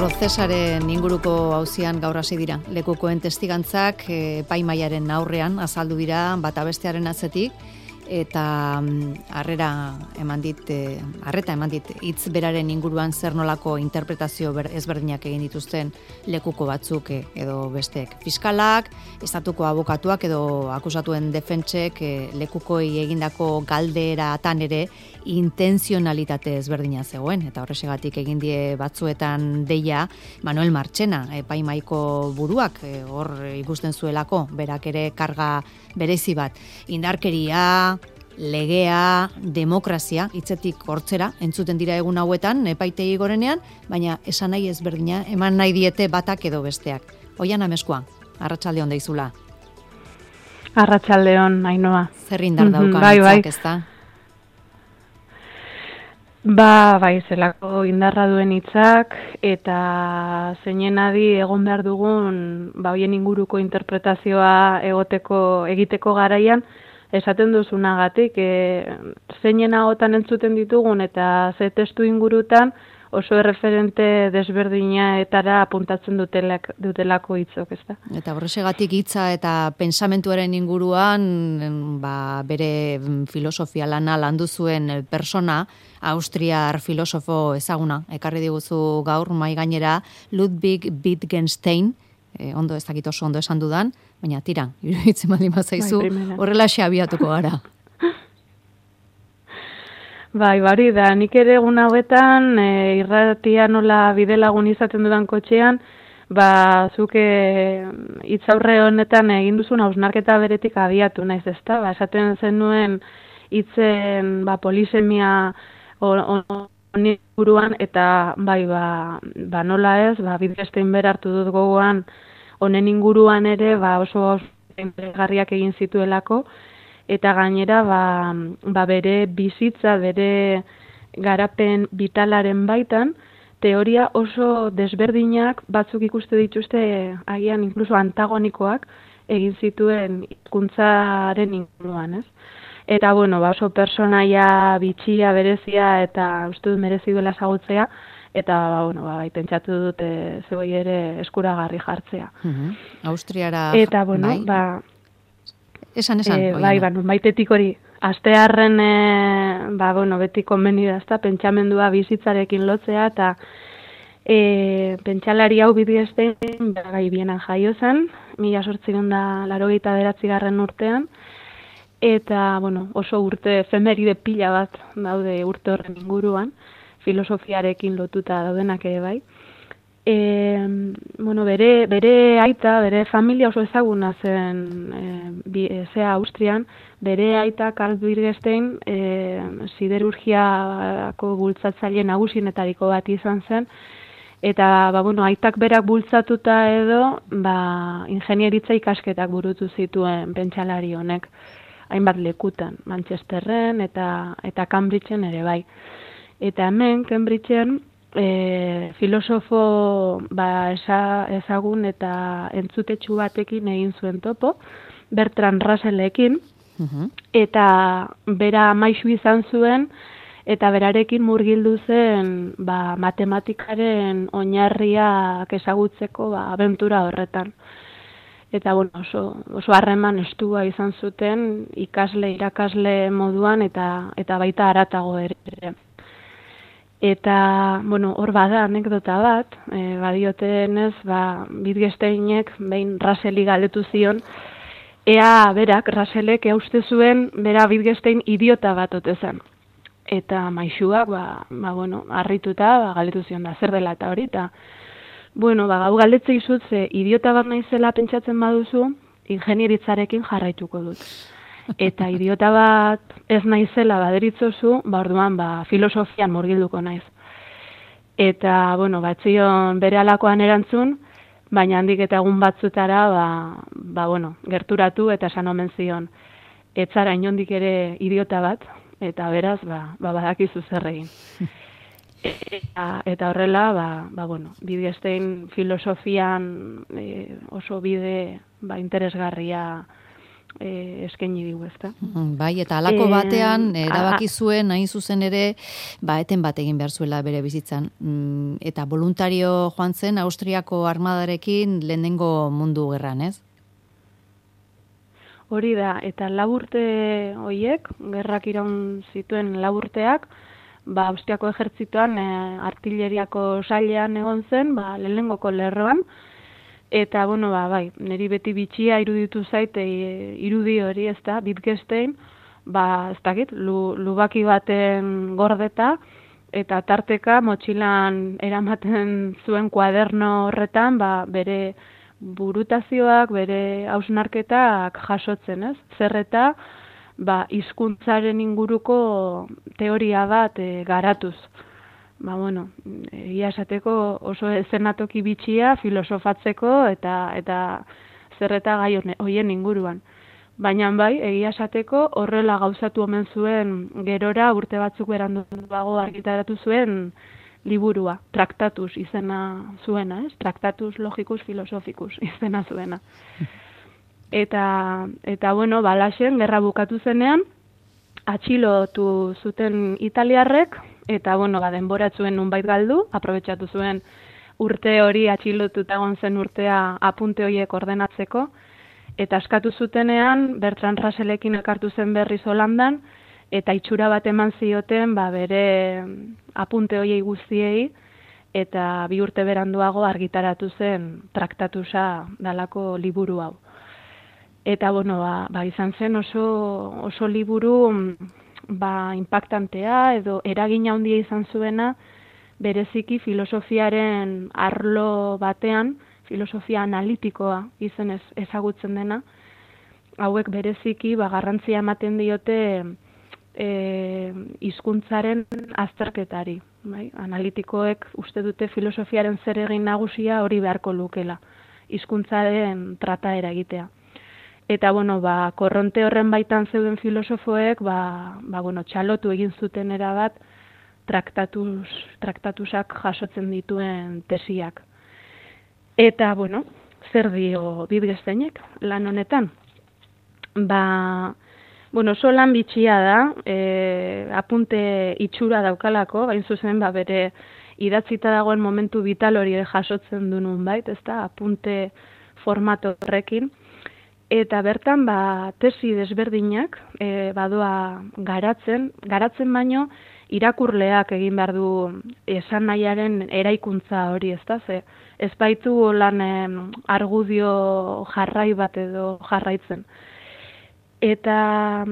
Procesaren inguruko auzian gaur hasi dira. Lekukoen testigantzak epaimahaiaren aurrean azaldu dira bata bestearen atzetik eta arreta eman dit hitz beraren inguruan zer nolako interpretazio ezberdinak egin dituzten lekuko batzuk edo besteek. Fiskalak, estatuko abokatuak edo akusatuen defentsek lekukoi egindako galderatan ere intenzionalitate ezberdina zegoen, eta horrexegatik egin die batzuetan deia Manuel Marchena, epaimahaiko buruak, hor ikusten zuelako, berak ere karga berezi bat. Indarkeria, legea, demokrazia, hitzetik hortzera, entzuten dira egun hauetan, epaitegi gorenean, baina esan nahi ezberdina, eman nahi diete batak edo besteak. Oian Ameskua, arratsalde on deizula. Arratsaldeon, Ainhoa. Zer indar daukan hitzak, ezta? Bai, zelako indarra duen hitzak eta zeinen adi egon behar dugun hoien inguruko interpretazioa egiteko garaian esaten duzunagatik zeinen ahotan entzuten ditugun eta ze testu ingurutan oso erreferente desberdinetara apuntatzen dutelako hitzok, ezta? Eta horrexegatik hitza eta pensamentuaren inguruan bere filosofia lana landu zuen persona, austriar filosofo ezaguna, ekarri diguzu gaur mai gainera Ludwig Wittgenstein, ondo ez dakit oso ondo esan dudan, baina tira, iruditzen baldin bazaizu, horrelaxe abiatuko gara. Bai, bari da, nik ere egun hauetan irratia nola bidelagun izaten dudan kotxean, zuke hitz aurre honetan egin duzun hausnarketa beretik abiatu naiz, ezta? Esaten zenuen hitzen polisemia honi buruan eta bai, nola ez, Wittgenstein bera hartu dut gogoan honen inguruan ere oso interesgarriak egin zituelako, eta gainera bere bizitza, bere garapen vitalaren baitan, teoria oso desberdinak batzuk ikuste dituzte agian inkluso antagonikoak egin zituen hizkuntzaren inguruan, ez? Eta oso personaia bitxia, berezia eta uste dut merezi duela ezagutzea, eta pentsatu dut zeuei ere eskuragarri jartzea. Austriara eta Esan. Baitetik hori, astearren, beti konbeni da, ezta, pentsamendua bizitzarekin lotzea, eta pentsalari hau Wittgenstein, gai Bienan jaio zen, 1889 urtean, eta, oso urte efemeride pila bat daude urte horren inguruan, filosofiarekin lotuta daudenak ere bai. Bere aita, bere familia oso ezaguna zen Austrian, bere aita Karl Wittgenstein siderurgiako bultzatzaile nagusienetariko bat izan zen, eta aitak berak bultzatuta edo ingenieritza ikasketak burutu zituen pentsalari honek, hainbat lekutan, Manchesterren eta Cambridgeen ere bai. Eta hemen, Cambridgeen, filosofo ezagun eta entzutetsu batekin egin zuen topo, Bertrand Russellekin, eta bera maisu izan zuen, eta berarekin murgildu zen matematikaren oinarriak ezagutzeko abentura horretan. Eta oso harreman estua izan zuten irakasle moduan eta baita haratago ere. Eta, hor bada anekdota bat, badiotenez, Wittgensteinek behin Russelli galdetu zion, ea berak, Russellek uste zuen, bera Wittgenstein idiota bat ote zen. Eta maisuak, harrituta, galdetu zion da, zer dela eta hori, eta, gau galdetzei zut, ze idiota bat naizela pentsatzen baduzu, ingenieritzarekin jarraituko dut. Eta idiota bat ez naizela baderitzozu, orduan filosofian murgilduko naiz. Eta, batzion bere alakoan erantzun, baina handik eta egun batzutara, gerturatu eta esan omen zion. Ez zara inondik ere idiota bat, eta beraz, badakizu zer egin. Eta horrela, Wittgenstein filosofian oso bide interesgarria eskaini digu, ezta. Bai, eta halako batean erabaki zuen hain zuzen ere, eten bat egin behar zuela bere bizitzan. Eta voluntario joan zen Austriako armadarekin lehenengo mundu gerran, ez? Hori da, eta laburte horiek, gerrak iraun zituen laburteak, Austriako ejertzitoan artilleriako sailean egon zen, lehenengoko lerroan, eta, bai, niri beti bitxia iruditu zait, irudi hori, ez da, Wittgenstein, ez dakit, lubaki baten gordeta, eta tarteka motxilan eramaten zuen kuaderno horretan, bere burutazioak, bere hausnarketak jasotzen, ez? Zerreta, hizkuntzaren inguruko teoria bat garatuz. Egia esateko oso eszenatoki bitxia filosofatzeko eta zerreta gai hoien inguruan. Baina bai, egia esateko horrela gauzatu omen zuen gerora urte batzuk beranduago argitaratu zuen liburua, Tractatus izena zuena, ez? Tractatus logicus philosophicus izena zuena. Eta Laxen, gerra bukatu zenean, atxilotu zuten italiarrek, eta denboratzuen nunbait galdu, aprobetxatu zuen urte hori atxilotuta egon zen urtea apunte horiek ordenatzeko, eta askatu zutenean, Bertrand Russellekin elkartu zen berriz Holandan, eta itxura bat eman zioten bere apunte horiei guztiei, eta 2 urte beranduago argitaratu zen Traktatusa dalako liburu hau. Eta, izan zen oso liburu impactantea edo eragina handia izan zuena bereziki filosofiaren arlo batean, filosofia analitikoa izenez ezagutzen dena, hauek bereziki garrantzia ematen diote hizkuntzaren azterketari. Analitikoek uste dute filosofiaren zeregin nagusia hori beharko lukela, hizkuntzaren trataera egitea. Eta, korronte horren baitan zeuden filosofoek, txalotu egin zuten erabat traktatusak jasotzen dituen tesiak. Eta, zer dio Wittgensteinek lan honetan? Oso lan bitxia da, apunte itxura daukalako, bain zuzen, bere idatzita dagoen momentu vital hori jasotzen du nunbait, ezta, apunte formato horrekin. Eta bertan, tesi desberdinak badoa garatzen baino, irakurleak egin behar du esan nahiaren eraikuntza hori, ezta? Ez baitu lan argudio jarrai bat edo jarraitzen. Eta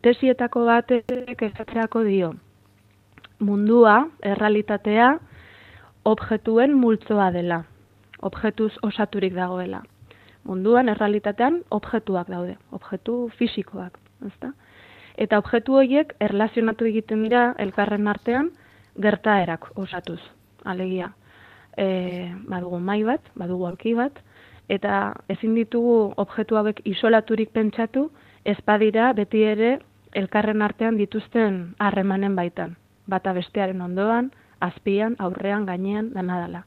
tesietako batek esatzeako dio, mundua, errealitatea, objektuen multzoa dela. Objektuz osaturik dagoela. Munduan, errealitatean, objektuak daude, objektu fisikoak, ezta? Eta objektu horiek erlazionatu egiten dira elkarren artean gertaerak osatuz, alegia. Badugu mahai bat, badugu aulki bat, eta ezin ditugu objektu hauek isolaturik pentsatu, ez badira beti ere elkarren artean dituzten harremanen baitan. Bata bestearen ondoan, azpian, aurrean, gainean, danadala.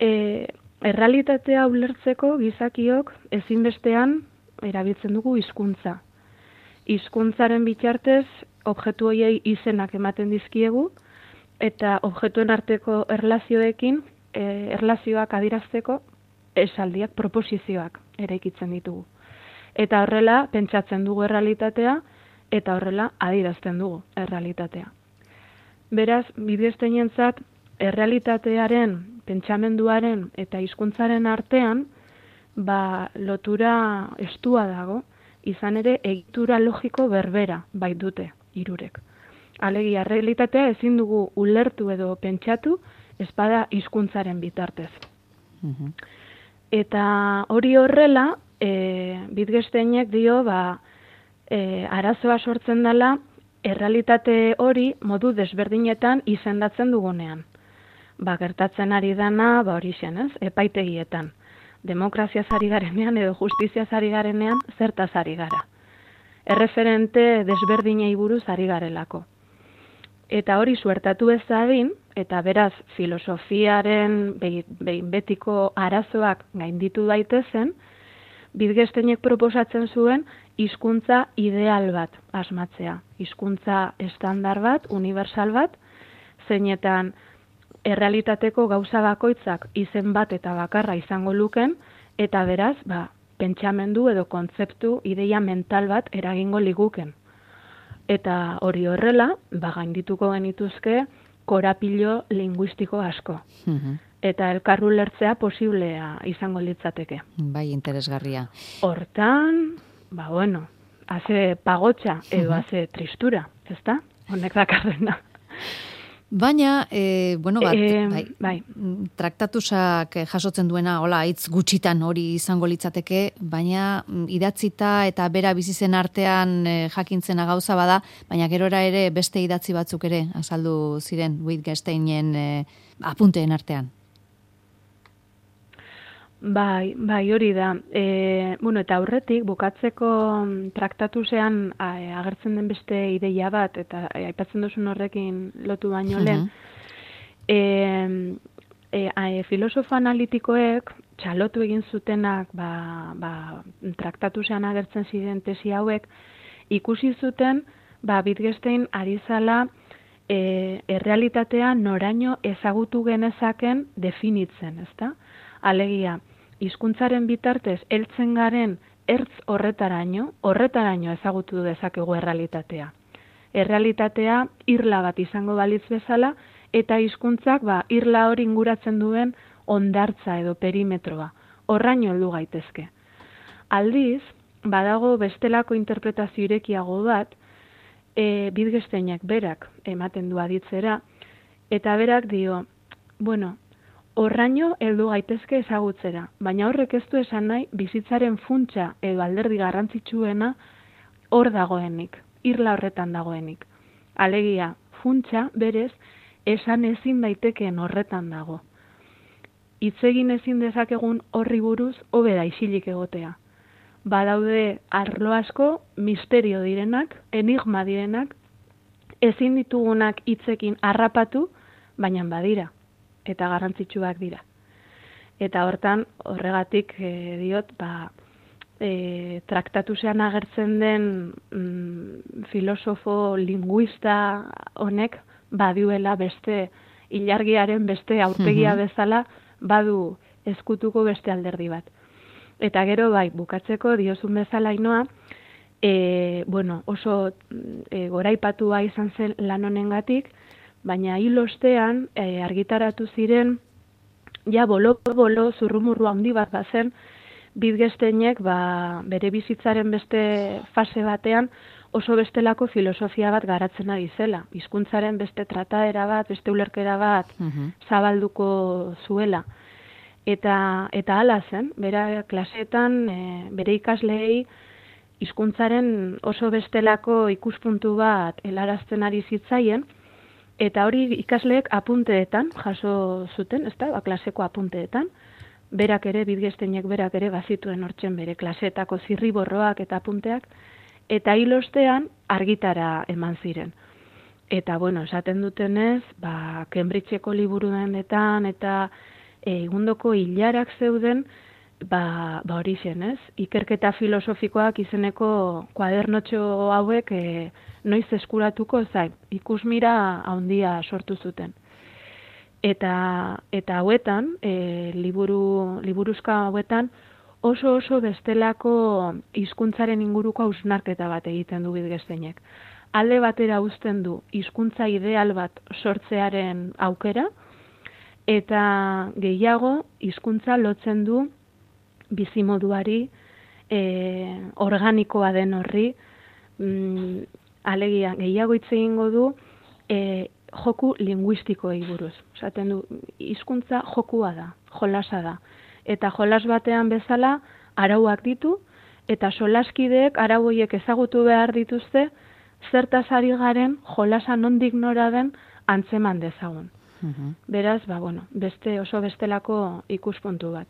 Errealitatea ulertzeko gizakiok ezinbestean erabiltzen dugu hizkuntza. Hizkuntzaren bitartez objektu horiei izenak ematen dizkiegu eta objektuen arteko erlazioekin erlazioak adierazteko esaldiak, proposizioak eraikitzen ditugu. Eta horrela pentsatzen dugu errealitatea eta horrela adierazten dugu errealitatea. Beraz, Wittgensteinentzat errealitatearen, pentsamenduaren eta hizkuntzaren artean lotura estua dago, izan ere egitura logiko berbera baitute hirurek. Alegia, errealitatea ezin dugu ulertu edo pentsatu ez bada hizkuntzaren bitartez. Eta hori horrela, Wittgensteinek dio arazoa sortzen dela errealitate hori modu desberdinetan izendatzen dugunean. Gertatzen ari dana, hori zen, ez? Epaitegietan. Demokraziaz ari garenean edo justiziaz ari garenean zertaz ari gara. Erreferente desberdinei buruz ari garelako. Eta hori suertatu ez dadin, eta beraz filosofiaren behin betiko arazoak gainditu daitezen, Wittgensteinek proposatzen zuen hizkuntza ideal bat asmatzea. Hizkuntza estandar bat, universal bat, zeinetan errealitateko gauza bakoitzak izen bat eta bakarra izango luken, eta beraz, pentsamendu edo kontzeptu, ideia mental bat eragingo liguken. Eta hori horrela, gaindituko genituzke korapilo linguistiko asko. Eta elkarru lertzea posiblea izango litzateke. Bai, interesgarria. Hortan, haze pagotxa edo haze tristura, ezta? Honek dakarrena. Baina, bai, traktatusak jasotzen duena, hitz gutxitan hori izango litzateke, baina idatzita eta bera bizizen artean jakintzena gauza bada, baina gerora ere beste idatzi batzuk ere azaldu ziren Wittgensteinen apunteen artean. Bai, hori da. Eta aurretik, bukatzeko traktatusean agertzen den beste ideia bat, eta aipatzen duzun horrekin lotu baino lehen, filosofo analitikoek txalotu egin zutenak traktatusean agertzen ziren tesi hauek, ikusi zuten Wittgenstein ari zala errealitatea noraino ezagutu genezaken definitzen, ezta? Alegia, hizkuntzaren bitartez heltzen garen ertz horretaraino ezagutu dezakegu errealitatea. Errealitatea irla bat izango balitz bezala, eta hizkuntzak irla hori inguratzen duen hondartza edo perimetroa. Horraino heldu gaitezke. Aldiz, badago bestelako interpretazio irekiago bat, Wittgensteinek berak ematen du aditzera, eta berak dio, horraino heldu gaitezke ezagutzera, baina horrek ez du esan nahi bizitzaren funtsa edo alderdi garrantzitsuena hor dagoenik, irla horretan dagoenik. Alegia, funtsa berez esan ezin daitekeen horretan dago. Hitz egin ezin dezakegun horri buruz hobe da isilik egotea. Badaude arlo asko, misterio direnak, enigma direnak, ezin ditugunak hitzekin harrapatu, baina badira. Eta garrantzitsuak dira. Eta hortan, horregatik diot, traktatusean agertzen den filosofo linguista honek baduela beste ilargiaren beste aurpegia bezala badu ezkutuko beste alderdi bat. Eta gero bukatzeko diozun bezala Ainoa, oso goraipatua izan zen lan honengatik, baina hil ostean argitaratu ziren, bolo zurrumurru handi bat bazen, Wittgensteinek bere bizitzaren beste fase batean oso bestelako filosofia bat garatzen ari zela. Hizkuntzaren beste trataera bat, beste ulerkera bat zabalduko zuela. Eta hala zen, bera klaseetan bere ikasleei hizkuntzaren oso bestelako ikuspuntu bat helarazten ari zitzaien, eta hori ikasleek apunteetan jaso zuten, ezta, klaseko apunteetan, Wittgensteinek berak ere bazituen hortzen bere klaseetako zirriborroak eta apunteak, eta hil ostean argitara eman ziren. Eta, esaten dutenez, Cambridgeko liburu denetan eta egundoko hilarak zeuden, hori zen, ez? Ikerketa filosofikoak izeneko kuadernotxo hauek noiz eskuratuko zain, ikusmira handia sortu zuten. Eta hauetan, liburuzka hauetan, oso bestelako hizkuntzaren inguruko hausnarketa bat egiten du Wittgensteinek. Alde batera uzten du hizkuntza ideal bat sortzearen aukera, eta gehiago hizkuntza lotzen du bizimoduari, organikoa den horri, alegia gehiago hitz egingo du joku linguistikoei buruz. Esaten du, hizkuntza jokua da, jolasa da. Eta jolas batean bezala arauak ditu, eta solaskideek arau horiek ezagutu behar dituzte, zertaz ari garen jolasa nondik nora den antzeman dezagun. Beraz, beste oso bestelako ikuspuntu bat.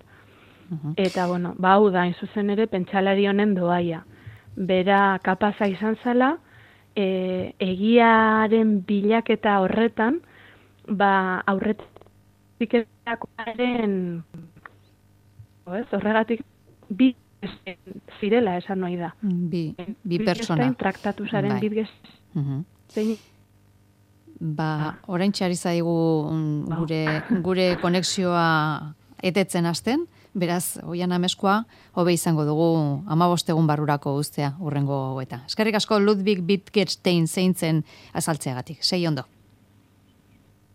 Eta, hau da, zuzen ere, pentsalari honen doaia. Bera kapaza izan zela, egiaren bilaketa horretan, aurretik erakoaren, horregatik, bi zirela esan nahi da. Bi pertsona. Traktatu zaren bidgez. Zein? Orain txari zaigu gure konexioa etetzen hasten, beraz, Oihan Ameskoa, hobe izango dugu 15 egun barrurako uztea urrengo eta. Eskerrik asko Ludwig Wittgenstein zeintzen azaltzeagatik. Sei ondo.